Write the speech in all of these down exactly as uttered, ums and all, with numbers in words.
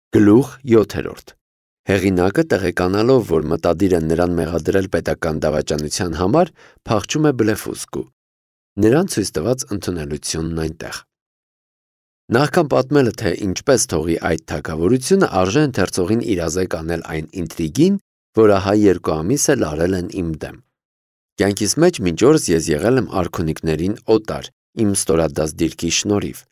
Գլուխ յոթերորդ Հեղինակը տեղեկանալով, որ մտադիր են նրան մեղադրել պետական դավաճանության համար, փախչում է Բլեֆուսկու։ Նրան ցույց տված ընդունելությունն այնտեղ։ Նախքան պատմելը, թե ինչպես թողի այդ թագավորությունը, արժե ընթերցողին իրազեկ անել այն ինտրիգին, որ ահա երկու ամիս էլ արել են իմ դեմ։ Կյանքիս մեջ մինչ օրս ես եղել եմ արքունիքներին օտար, իմ ստորադաս դիրքի շնորհիվ։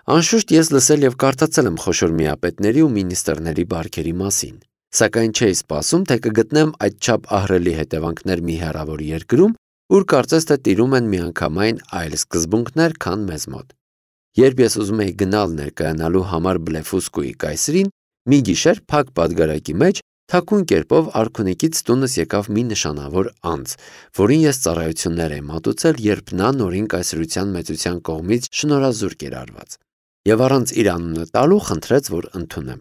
Անշուշտ ես լսել և կարդացել եմ խոշոր միապետների ու մինիստրների բարքերի մասին, սակայն չէի սպասում, թե կգտնեմ այդչափ ահռելի հետևանքներ մի հեռավոր երկրում, ուր կարծես թե տիրում են միանգամայն այլ սկզբունքներ, քան մեզ մոտ։ Երբ ես ուզում էի գնալ ներկայանալու համար Բլեֆուսկուի կայսրին, մի գիշեր փակ պատգարակի մեջ թաքուն կերպով արքունիքից տունս եկավ մի նշանավոր անձ, որին ես ծառայություններ էի մատուցել, երբ նա նորին կայսրության մեծության կողմից շնորհազուրկ էր արված, և առանց իր անունը տալու խնդրեց, որ ընդունեմ։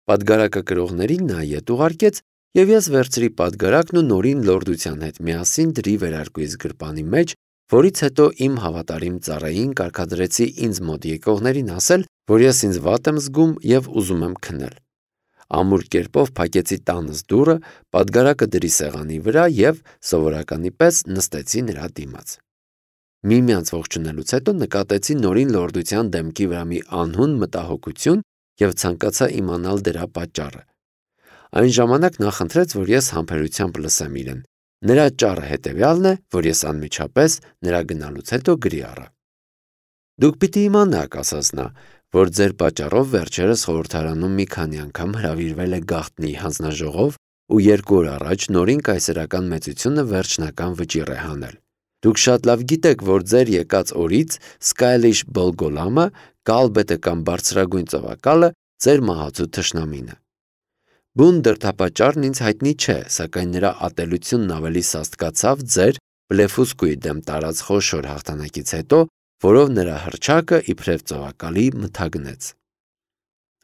Պատգարակը կրողներին նա ետ ուղարկեց, և ես վերցրի պատգարակն ու նորին լորդության հետ միասին դրի վերարկուիս գրպանի մեջ, որից հետո իմ հավատարիմ ծառային կարգադրեցի ինձ մոտ եկողներին ասել, որ ես ինձ վատ եմ զգում և ուզում եմ քնել։ Ամուր կերպով փակեցի տանս դուռը, պատգարակը դրի սեղանի վրա և սովորականի պես նստեցի նրա դիմաց։ Միմյանց ողջունելուց հետո նկատեցի նորին լորդության դեմքի վրա մի անհուն մտահոգություն և ցանկացա իմանալ դրա պատճառը։ Այն ժամանակ նա խնդրեց, որ ես համբերությամբ լսեմ իրեն։ Նրա ճառը հետևյալն է, որ ես անմիջապես նրա գնալուց հետո գրի առա։ Դուք պիտի իմանաք, ասաց նա, որ ձեր պատճառով վերջերս խորհրդարանում մի քանի անգամ հրավիրվել է գաղտնի հանձնաժողով ու երկու օր առաջ նորին կայսերական մեծությունը վերջնական վճիռ է հանել։ Դուք շատ լավ գիտեք, որ ձեր եկած օրից Սկայլիշ Բոլգոլամը, Կալբետը կամ բարձրագույն ծովակալը ձեր մահացու թշնամին է։ Բուն դրդապատճառն ինձ հայտնի չէ, սակայն նրա ատելությունն ավելի սաստկացավ ձեր Բլեֆուսկուի դեմ տարած խոշոր հաղթանակից հետո, որով նրա հռչակը իբրև ծովակալի մթագնեց։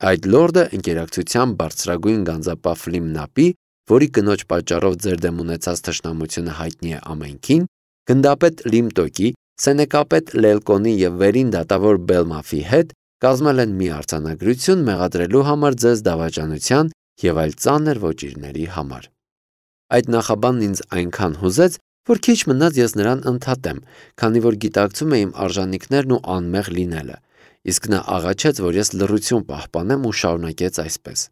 Այդ լորդը ընկերակցությամբ բարձրագույն գանձապահ Ֆլիմնապի, որի կնոջ պատճառով ձեր դեմ ունեցած թշնամությունը հայտնի է ամենքին, գնդապետ Լիմտոկի, սենեկապետ Լելկոնի և վերին դատավոր Բելմաֆի հետ կազմել են մի արձանագրություն մեղադրելու համար ձեզ դավաճանության և այլ ծանր ոճիրների համար։ Այդ նախաբանն ինձ այնքան հուզեց, որ քիչ մնաց ես նրան ընդհատեմ, քանի որ գիտակցում էի իմ արժանինքներն ու անմեղ լինելը, իսկ նա աղաչեց, որ ես լռություն պահպանեմ ու շարունակեց այսպես.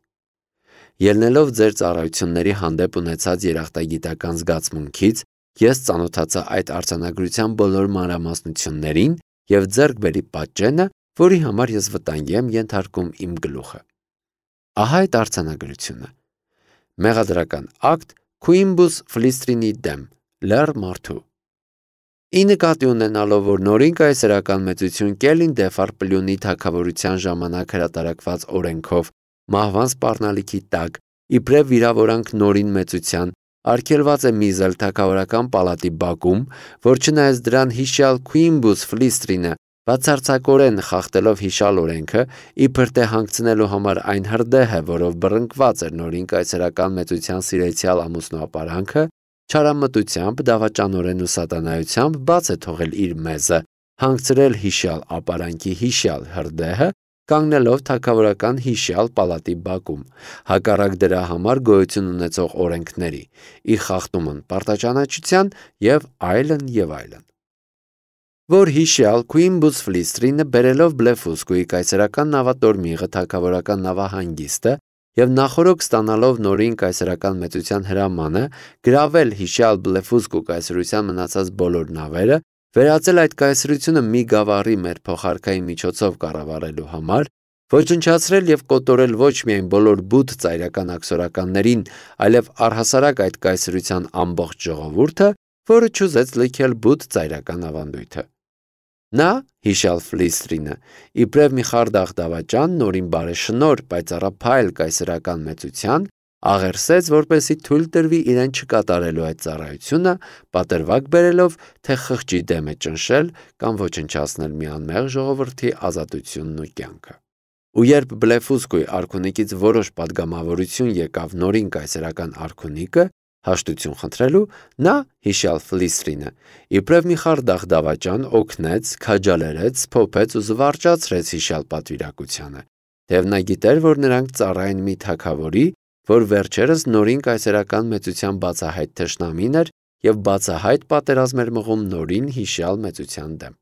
Ելնելով ձեր ծառայությունների հանդեպ ունեցած երախտագիտական զգացմունքից, ես ծանոթացա այդ արձանագրության բոլոր մանրամասնություններին և ձեռք բերի պատճենը, որի համար ես վտանգի եմ ենթարկում իմ գլուխը։ Ահա այդ արձանագրությունը։ Մեղադրական ակտ Քուիմբուս Ֆլիստրինի դեմ, լեռ մարդու։ Ի նկատի ունենալով, որ նորին կայսերական մեծություն Կելին Դեֆարպլյունի թագավորության ժամանակ հրատարակված օրենքով մահվան սպառնալիքի տակ, իբրև վիրավորանք նորին մեծության, արգելված է միզել թագավորական պալատի բակում, որ չնայած դրան հիշյալ Քուիմբուս Ֆլիստրինը բացարձակորեն խախտելով հիշյալ օրենքը, իբր թե հանգցնելու համար այն հրդեհը, որով բռնկված էր նորին կայսերական մեծության սիրեցյալ ամուսնու ապարանքը, չարամտությամբ, դավաճանորեն ու սատանայությամբ բաց է թողել իր մեզը, հանգցրել հիշյալ ապարանքի հիշյալ հրդեհը, կանգնելով թագավորական հիշյալ պալատի բակում, հակառակ դրա համար գոյություն ունեցող օրենքների, իր խախտումն պարտաճանաչության և այլն և այլն։ Որ հիշյալ Քուիմբուս Ֆլիստրինը բերելով Բլեֆուսկուի կայսերական նավատորմիղը թագավորական նավահանգիստը և նախօրոք ստանալով նորին կայսերական մեծության հրամանը, գրավել հիշյալ Բլեֆուսկու կայսրության մնացած բոլոր նավերը, վերածել այդ կայսրությունը մի գավառի մեր փոխարքայի միջոցով կառավարելու համար, ոչնչացրել և կոտորել ոչ միայն բոլոր բութ ծայրական աքսորականներին, այլև առհասարակ այդ կայսրության ամբողջ ժողովուրդը, որը չուզեց լքել բութ ծայրական ավանդույթը։ Նա, հիշյալ Ֆլիստրինը, իբրև մի խարդախ դավաճան, նորին բարեշնորհ, պայծառափայլ կայսերական մեծության, աղերսեց, որպեսզի թույլ տրվի իրեն չկատարելու այդ ծառայությունը, պատրվակ բերելով, թե խղճի դեմ է ճնշել կամ ոչնչացնել մի անմեղ ժողովրդի ազատությունն ու կյանքը։ Ու երբ Բլեֆուսկուի արքունիքից որոշ պատգամավորություն եկավ նորին կայսերական արքունիկը, հաշտություն խնդրելու, նա, հիշյալ Ֆլիստրինը, իբրև մի խարդախ դավաճան օգնեց, քաջալերեց, սփոփեց ու զվարճացրեց հիշյալ պատվիրակությանը, Թեև նա գիտեր, որ նրանք ծառային մի թագավորի, որ վերջերս նորին կայսերական մեծության բացահայտ թշնամին էր և բացահայտ պատերազմ էր մղում նորին հիշյալ մեծության դեմ։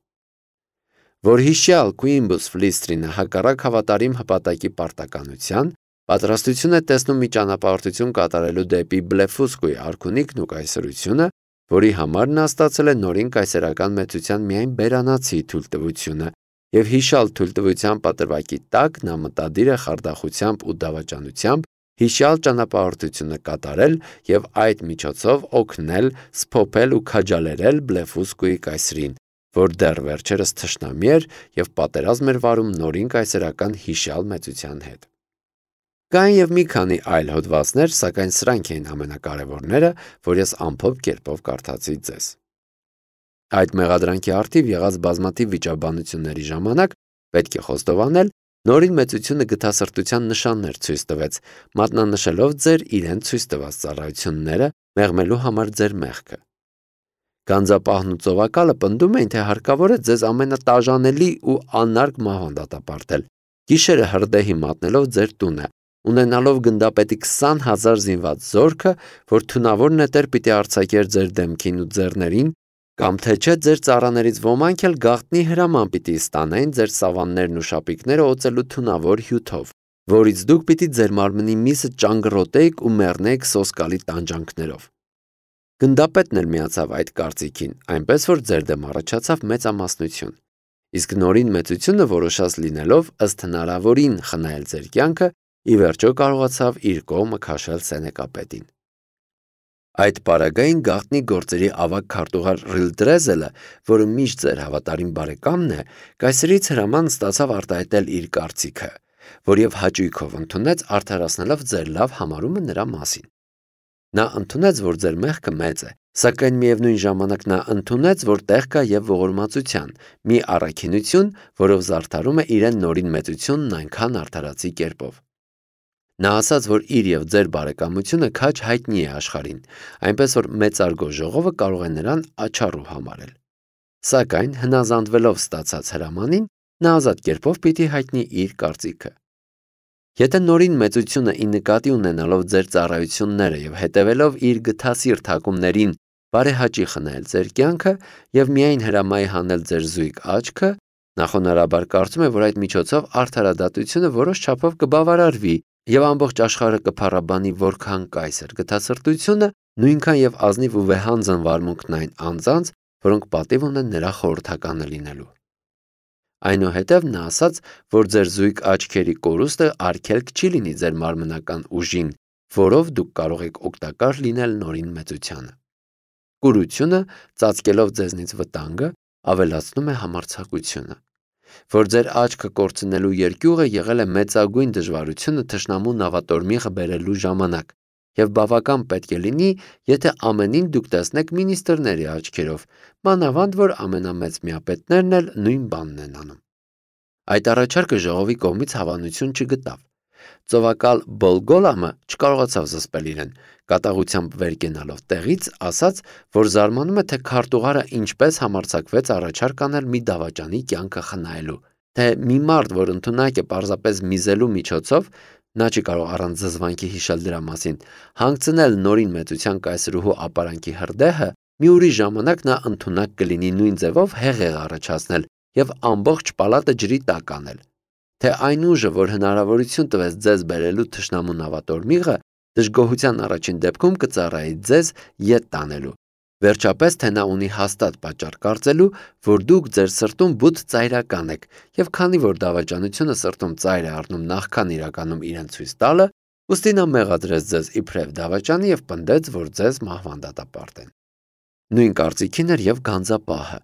Որ հիշյալ Quinbus Flistrine հակառակ հավատարիմ հպատակի պարտականության պատրաստություն է տեսնում մի ճանապարհորդություն կատարելու դեպի Բլեֆուսկուի արքունիքն ու կայսրությունը, որի համար նա ստացել է նորին կայսերական մեծության միայն բերանացի թույլտվությունը, և հիշյալ թույլտվության պատրվակի տակ նա մտադիր է խարդախությամբ ու դավաճանությամբ հիշյալ ճանապարհորդությունը կատարել և այդ միջոցով օգնել, սփոփել ու քաջալերել Բլեֆուսկուի կայսրին, որ դեռ վերջերս թշնամի էր և պատերազմ էր վարում նորին կայսերական հիշյալ մեծության հետ։ Կային և մի քանի այլ հոդվածներ, սակայն սրանք էին ամենակարևորները, որ ես ամփոփ կերպով կարդացի ձեզ։ Այդ մեղադրանքի առթիվ եղած բազմաթիվ վիճաբանությունների ժամանակ պետք է խոստովանել, նորին մեծությունը գթասրտության նշաններ ցույց տվեց, մատնանշելով ձեր իրեն ցույց տված ծառայությունները, մեղմելու համար ձեր մեղքը։ Գանձապահն ու ծովակալը պնդում էին, թե հարկավոր է ձեզ ամենատաժանելի ու անարգ մահվան դատապարտել, գիշերը հրդեհի մատնելով ձեր տունը, ունենալով գնդապետի քսան հազար զինված զորքը, որ թունավոր նետեր պիտի արձակեր ձեր դեմքին ու ձեռներին, կամ թե չէ ձեր ծառաներից ոմանք էլ գաղտնի հրաման պիտի ստանային ձեր սավաններն ու շապիկները օծելու թունավոր հյութով, որից դուք պիտի ձեր մարմնի միսը ճանգռոտեիք ու մեռնեիք սոսկալի տանջանքներով։ Գնդապետն էլ միացավ այդ կարծիքին, այնպես որ ձեր դեմ առաջացավ մեծամասնություն, իսկ նորին մեծությունը որոշած լինելով ըստ հնարավորին խնայել ձեր կյանքը, ի վերջո կարողացավ իր կողմը քաշել Սենեկապետին։ Այդ պարագային գաղտնի գործերի ավագ քարտուղար Ռիլդրեզելը, որը միշտ ձեր հավատարիմ բարեկամն է, կայսրից հրաման ստացավ արտահայտել իր կարծիքը, որ և հաճույքով ընդունեց, արդարացնելով ձեր լավ համարումը նրա մասին։ Նա ընդունեց, որ ձեր մեղքը մեծ է, սակայն միևնույն ժամանակ նա ընդունեց, որ տեղ կա և ողորմածության, մի առաքինություն, որով զարդարում է իրեն նորին մեծությունն այնքան արդարացի կերպով։ Նա ասաց, որ իր և ձեր բարեկամությունը քաջ հայտնի է աշխարհին, այնպես որ մեծարգո ժողովը կարող է նրան աչառու համարել։ Սակայն հնազանդվելով ստացած հրամանին, նա ազատ կերպով պիտի հայտնի իր կարծիքը։ Եթե նորին մեծությունը ի նկատի ունենալով ձեր ծառայությունները և հետևելով իր գթասիրտ հակումներին բարեհաճի խնայել ձեր կյանքը և միայն հրամայի հանել ձեր զույգ աչքը, նախոնարաբար կարծում է, որ այդ միջոցով արդարադատությունը որոշ չափով կբավարարվի և ամբողջ աշխարհը կփառաբանի որքան կայսր գթասրտությունը, նույնքան և ազնիվ ու վեհանձն վարմունքն այն անձանց, որոնք պատիվ ունեն նրա խորհրդականը լինելու։ Այնուհետև նա ասաց, որ ձեր զույգ աչքերի կորուստը արգելք չի լինի ձեր մարմնական ուժին, որով դուք կարող եք օգտակար լինել նորին մեծությանը։ Կուրությունը, ծածկելով ձեզնից վտանգը, ավելացնում է համարձակությունը։ Որ ձեր աչքը կորցնելու երկյուղը եղել է մեծագույն դժվարությունը թշնամու նավատորմիղը բերելու ժամանակ, և բավական պետք է լինի, եթե ամենին դուք տեսնեք մինիստրների աչքերով, մանավանդ որ ամենամեծ միապետներն էլ նույն բանն են անում։ Այդ առաջարկը ժողովի կողմից հավանություն չգտավ։ Ծովակալ Բոլգոլամը չկարողացավ զսպել իրեն, կատաղությամբ վեր կենալով տեղից, ասաց, որ զարմանում է, թե քարտուղարը ինչպես համարձակվեց առաջարկ անել մի դավաճանի կյանքը խնայելու, թե մի մարդ, որ ընդունակ է պարզապես միզելու միջոցով, նա չի կարող առանց զզվանքի հիշել դրա մասին, հանգցնել նորին մեծության կայսրուհու ապարանքի հրդեհը, մի ուրիշ ժամանակ նա ընդունակ կլինի նույն ձևով հեղեղ առաջացնել և ամբողջ պալատը ջրի տակ անել, թե այն ուժը, որ հնարավորություն տվեց ձեզ բերելու թշնամու նավատորմիղը, դժգոհության առաջին դեպքում կծառայի ձեզ ետ տանելու, վերջապես թե նա ունի հաստատ պատճառ կարծելու, որ դուք ձեր սրտում բութ ծայրական եք, և քանի որ դավաճանությունը սրտում ծայր է առնում նախքան իրականում իրեն ցույց տալը, ուստի նա մեղադրեց ձեզ իբրև դավաճանի և պնդեց, որ ձեզ մահվան դատապարտեն։ Նույն կարծիքին էր և գանձապահը։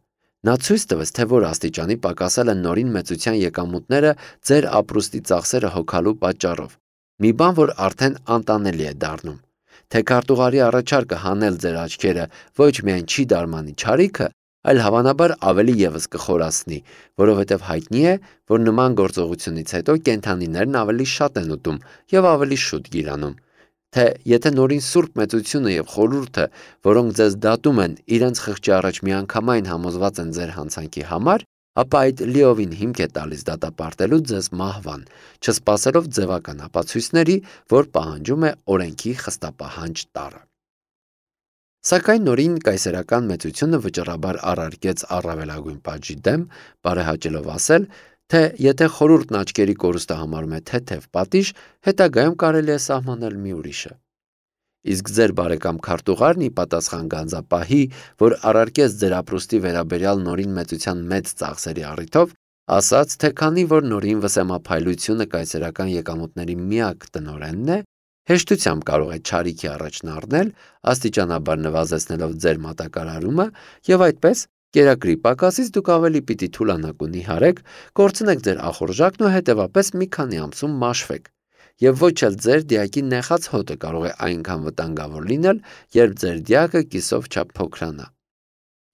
Նա ցույց տվեց, թե որ աստիճանի պակասել են նորին մեծության եկամուտները ձեր ապրուստի ծախսերը հոգալու պատճառով, մի բան, որ արդեն անտանելի է դառնում, թե քարտուղարի առաջարկը հանել ձեր աչքերը ոչ միայն չի դարմանի չարիքը, այլ հավանաբար ավելի ևս կխորացնի, որովհետև հայտնի է, որ նման գործողությունից հետո կենդանիներն ավելի շատ են ուտում և ավելի շուտ գիրանում, թե եթե նորին սուրբ մեծությունը և խորհուրդը, որոնք ձեզ դատում են, իրենց խղճի առաջ միանգամայն համոզված են ձեր հանցանքի համար, ապա այդ լիովին հիմք է տալիս դատապարտելու ձեզ մահվան, չսպասելով ձևական ապացույցների, որ պահանջում է օրենքի խստապահանջ տարը։ Սակայն նորին կայսերական մեծությունը վճռաբար առարկեց առավելագույն պատժի դեմ, բարեհաճելով ասել, թե եթե խորհուրդն աչքերի կորուստը համարում է թեթև պատիժ, հետագայում կարելի է սահմանել մի ուրիշը։ Իսկ ձեր բարեկամ քարտուղարն ի պատասխան գանձապահի, որ առարկեց ձեր ապրուստի վերաբերյալ նորին մեծության մեծ ծախսերի առիթով, ասաց, թե քանի որ նորին վսեմափայլությունը կայսերական եկամուտների միակ տնօրենն է, հեշտությամբ կարող է չարիքի առաջն առնել, աստիճանաբար նվազեցնելով ձեր մատակարարումը, եւ այդպես կերակրի պակասից դուք ավելի պիտի թուլանաք ու նիհարեք, կորցնեք ձեր ախորժակն ու հետևապես մի քանի ամսում մաշվեք։ Եվ ոչ էլ ձեր դիակի նեխած հոտը կարող է այնքան վտանգավոր լինել, երբ ձեր դիակը կիսով չափ փոքրանա։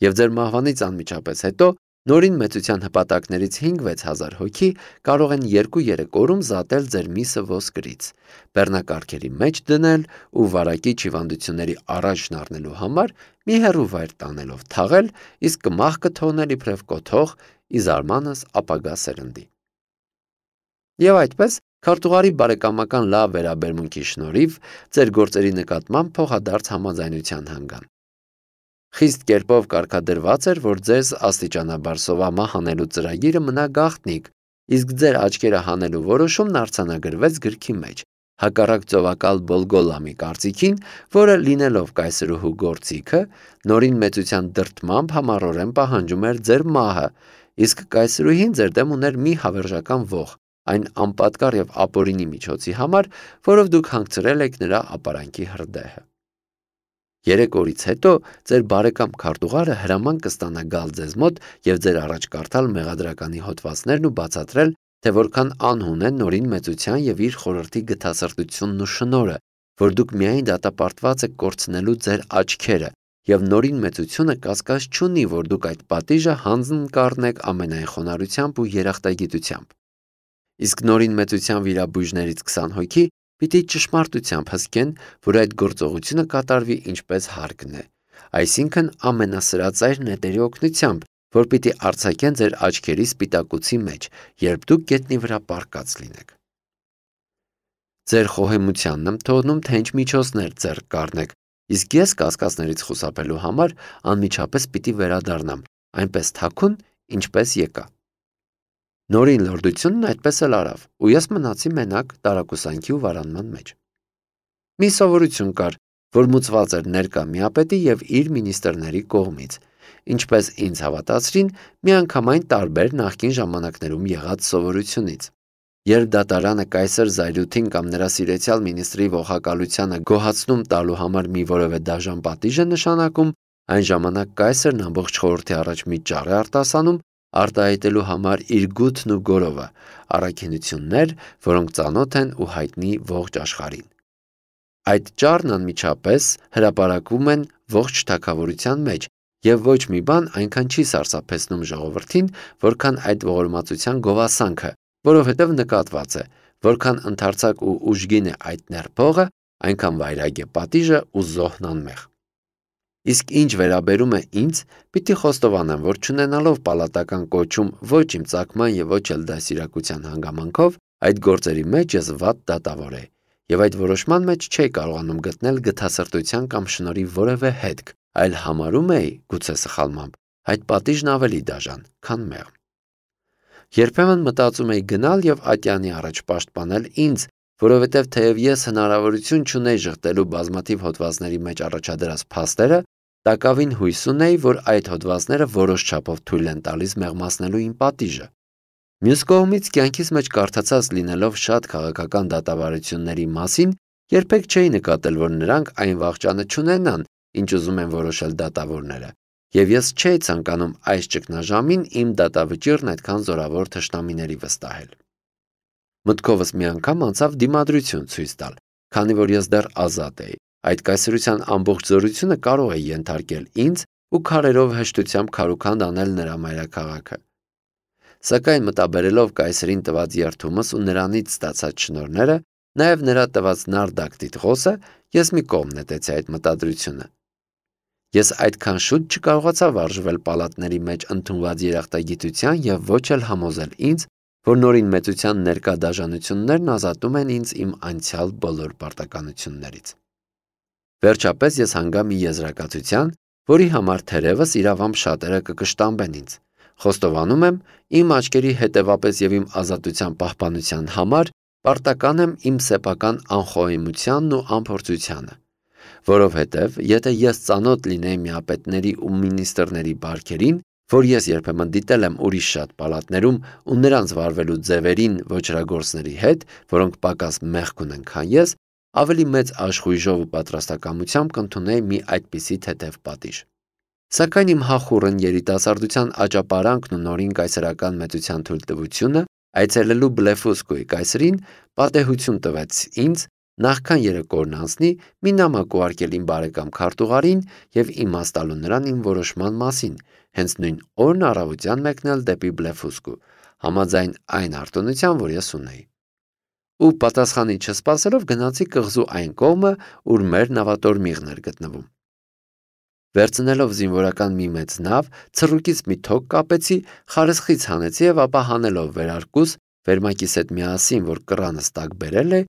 Եվ ձեր մահվանից անմիջապես հետո նորին մեծության հպատակներից հինգ-վեց հազար հոգի կարող են երկու-երեք օրում զատել ձեր միսը ոսկրից, բեռնակարգերի մեջ դնել ու վարակիչ հիվանդությունների առաջն առնելու համար մի հեռու վայր տանելով թաղել, իսկ կմախքը թողնել իբրև կոթող ի զարմանս ապագա սերնդի։ Եվ այդպես քարտուղարի բարեկամական լավ վերաբերմունքի շնորհիվ ձեր գործերի նկատմամբ փոխադարձ համաձայնության հանգան։ Խիստ կերպով կարգադրված էր, որ ձեզ աստիճանաբար սովամահ հանելու ծրագիրը մնա գաղտնիք, իսկ ձեր աչքերը հանելու որոշումն արձանագրվեց գրքի մեջ, հակառակ ծովակալ Բոլգոլամի կարծիքին, որը լինելով կայսրուհու գործիքը, նորին մեծության դրդմամբ համառորեն պահանջում էր ձեր մահը, իսկ կայսրուհին ձեր դեմ ուներ մի հավերժական ոխ, այն անպատկառ եւ ապօրինի միջոցի համար, որով դուք հանգցրել եք նրա ապարանքի հրդեհը։ Երեք օրից հետո ձեր բարեկամ քարտուղարը հրաման կստանա գալ ձեզ մոտ եւ ձեր առաջ կարդալ մեղադրականի հոդվածներն ու բացատրել, թե որքան անհուն է նորին մեծության եւ իր խորհրդի գթասրտությունն ու շնորհը, որ դուք միայն դատապարտված եք կորցնելու ձեր աչքերը, եւ նորին մեծությունը կասկած չունի, որ դուք այդ պատիժը հանձն կառնեք ամենայն խոնարհությամբ ու երախտագիտությամբ։ Իսկ նորին մեծության վիրաբույժներից քսան հոգի պիտի ճշմարտությամբ հսկեն, որ այդ գործողությունը կատարվի ինչպես հարկն է, այսինքն ամենասրածայր նետերի օգնությամբ, որ պիտի արձակեն ձեր աչքերի սպիտակուցի մեջ, երբ դուք գետնի վրա պառկած լինեք։ Ձեր խոհեմությանն եմ թողնում, թե ինչ միջոցներ ձեռք կառնեք, իսկ ես կասկածներից խուսափելու համար անմիջապես պիտի վերադառնամ, այնպես թաքուն, ինչպես եկա։ Նորին լորդությունն այդպես էլ արավ, ու ես մնացի մենակ տարակուսանքի ու վարանման մեջ։ Մի սովորություն կար, որ մուծված էր ներկա միապետի եւ իր մինիստրների կողմից, ինչպես ինձ հավատացրին միանգամայն տարբեր նախկին ժամանակներում եղած սովորությունից։ Երբ դատարանը կայսր Զայրութին կամ նրա սիրեցյալ մինիստրի ողակալությանը գոհացնում տալու համար մի որևէ դաժան պատիժ է նշանակում, այն ժամանակ կայսրն ամբողջ խորհրդի առաջ մի ճառ է արտասանում, արտահայտելու համար իր գութն ու գորովը, առաքինություններ, որոնք ծանոթ են ու հայտնի ողջ աշխարհին։ Այդ ճառն անմիջապես հրապարակվում են ողջ թագավորության մեջ, եւ ոչ մի բան այնքան չի սարսափեցնում ժողովրդին, որքան այդ ողորմածության գովասանքը, որովհետև նկատված է, որքան ընդարձակ ու ուժգին է այդ ներփողը, այնքան վայրագ է պատիժը ու զոհն անմեղ։ Իսկ ինչ վերաբերում է ինձ, պիտի խոստովանեմ, որ չունենալով պալատական կոչում ոչ իմ ծագման եւ ոչ էլ դասիրակության հանգամանքով, այդ գործերի մեջ ես վատ դատավոր էի, եւ այդ որոշման մեջ չէի կարողանում գտնել գթասրտության կամ շնորհի որևէ հետք, այլ համարում էի, գուցե սխալմամբ, այդ պատիժն ավելի դաժան, քան մեղմ։ Երբեմն մտածում էի գնալ եւ ատյանի առաջ պաշտպանել ինձ, որովհետև թեև ես հնարավորություն չունեի ժխտելու բազմաթիվ հոդվածների մեջ առաջադրած փաստերը, տակավին հույս ունեի, որ այդ հոդվածները որոշ չափով թույլ են տալիս մեղմացնելու իմ պատիժը։ Մյուս կողմից կյանքիս մեջ կարդացած լինելով շատ քաղաքական դատավարությունների մասին, երբեք չէի նկատել, որ նրանք այն վաղճանը չունենան, ինչ ուզում են որոշել դատավորները, եւ ես չէի ցանկանում այս ճգնաժամին իմ դատավճիռն այդքան զորավոր թշնամիների վստահել։ Մտքովս մի անգամ անցավ դիմադրություն ցույց տալ, քանի որ ես դեռ ազատ էի, այդ կայսրության ամբողջ զորությունը կարող է ենթարկել ինձ ու քարերով հեշտությամբ քարուքանդ անել նրա մայրաքաղաքը։ Սակայն մտաբերելով կայսրին տված երդումս ու նրանից ստացած շնորհները, նաև նրա տված նարդակ տիտղոսը, ես մի կողմ նետեցի այդ մտադրությունը։ Ես այդքան շուտ չկարողացա վարժվել պալատների մեջ ընդունված երախտագիտության և ոչ էլ համոզել ինձ, որ նորին մեծության ներկա դաժանություններն ազատում են ինձ իմ անցյալ բոլոր պարտականություններից։ Վերջապես ես հանգա մի եզրակացության, որի համար թերևս իրավամբ շատերը կկշտամբեն ինձ։ Խոստովանում եմ, իմ աչքերի հետևապես և իմ ազատության պահպանության համար պարտական եմ իմ սեփական անխոհեմությանն ու անփորձությանը։ Որովհետև եթե ես ծանոթ լինեի միապետների ու մինիստրների բարքերին, որ ես երբեմն դիտել եմ ուրիշ շատ պալատներում ու նրանց վարվելու ձևերին ոճրագործների հետ, որոնք պակաս մեղք ունեն, քան ես, ավելի մեծ աշխույժով ու պատրաստակամությամբ կընդունեի մի այդպիսի թեթև պատիժ։ Սակայն իմ հախուռն երիտասարդության աճապարանքն ու նորին կայսերական մեծության թույլտվությունը այցելելու Բլեֆուսկուի կայսրին պատեհություն տվեց ինձ նախքան երեկորն անցնի մի նամակ ուղարկել իմ բարեկամ քարտուղարին և իմաստալու նրան իմ որոշման մասին, հենց նույն օրն առավոտյան մեկնել դեպի Բլեֆուսկու, համաձայն այն արտոնության, որ ես ունեի։ Ու պատասխանի չսպասելով գնացի կղզու այն կողմը, ուր մեր նավատորմիղն էր գտնվում։ Վերցնելով զինվորական մի մեծ նավ, ցռուկից մի թոք կապեցի, խարսխից հանեցի և ապա հանելով վերարկուս, վերմակիս հետ միասին, որ կռանս տակ բերել է,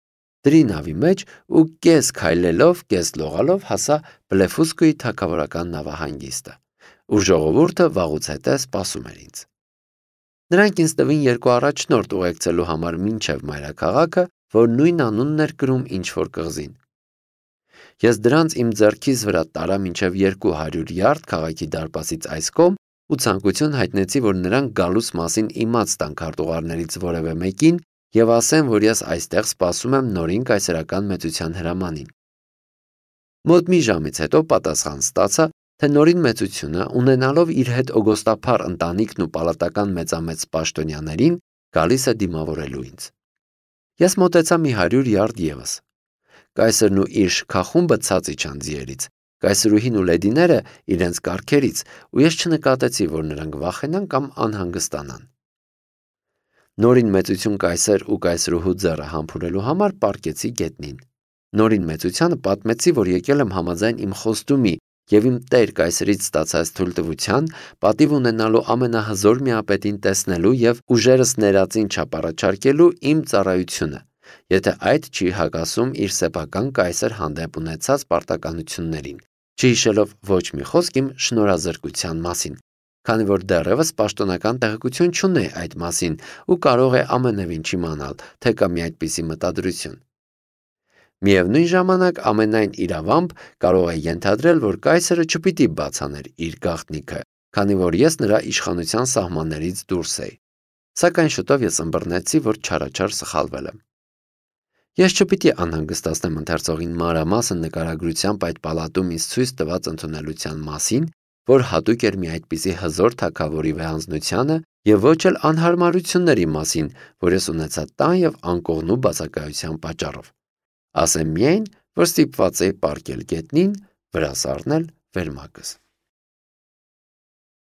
դրի նավի մեջ ու կես քայլելով, կես լողալով հասա Բլեֆուսկուի թագավորական նավահանգիստը, ուր ժողովուրդը վաղուց հետո սպասում էր ինձ։ Նրանք ինձ տվին երկու առաջնորդ ուղեկցելու համար մինչև մայրաքաղաքը, որ նույն անունն էր կրում ինչ-որ կղզին։ Ես դրանց իմ ձեռքիս վրա տարա մինչև երկու հարյուր յարդ քաղաքի դարպասից այս կողմ ու ցանկություն հայտնեցի, որ նրանք գալուս մասին իմաց տան քարտուղարներից որևէ մեկին և ասեն, որ ես այստեղ սպասում եմ նորին կայսերական մեծության հրամանին։ Մոտ մի ժամից հետո պատասխան ստացա, թե նորին մեծությունը, ունենալով իր հետ օգոստափառ ընտանիքն ու պալատական մեծամեծ պաշտոնյաներին, գալիս է դիմավորելու ինձ։ Ես մոտեցա մի հարյուր յարդ ևս։ Կայսրն ու իր շքախումբը ցած իջան ձիերից, կայսրուհին ու լեդիները իրենց կառքերից, ու ես չնկատեցի, որ նրանք վախենան կամ անհանգստանան։ Նորին մեծություն կայսր ու կայսրուհու ձեռը համբուրելու համար պառկեցի գետնին։ Նորին մեծությանը պատմեցի, որ եկել եմ համաձայն իմ խոստումի և իմ տեր կայսրից ստացած թույլտվության, պատիվ ունենալու ամենահզոր միապետին տեսնելու և ուժերս ներածին չափ առաջարկելու իմ ծառայությունը, եթե այդ չի հակասում իր սեփական կայսր հանդեպ ունեցած պարտականություններին, չհիշելով ոչ մի խոսք իմ շնորհազրկության մասին, քանի որ դեռևս պաշտոնական տեղեկություն չունեի այդ մասին ու կարող է ամենևին չիմանալ, թե կա մի այդպիսի մտադրություն։ Միևնույն ժամանակ ամենայն իրավամբ կարող է ենթադրել, որ կայսրը չպիտի բաց աներ իր գաղտնիքը, քանի որ ես նրա իշխանության սահմաններից դուրս էի։ Սակայն շուտով ես ըմբռնեցի, որ չարաչար սխալվել եմ։ Ես չպիտի անհանգստացնեմ ընթերցողին մանրամասն նկարագրությամբ այդ պալատում ինձ ցույց տված ընդունելության մասին, որ հատուկ էր մի այդպիսի հզոր թագավորի վեհանձնությանը և ոչ էլ անհարմարությունների մասին, որ ես ունեցա տան և անկողնու բացակայության պատճառով։ Ասեմ միայն, որ ստիպված էի պառկել գետնին, վրաս առնել վերմակս։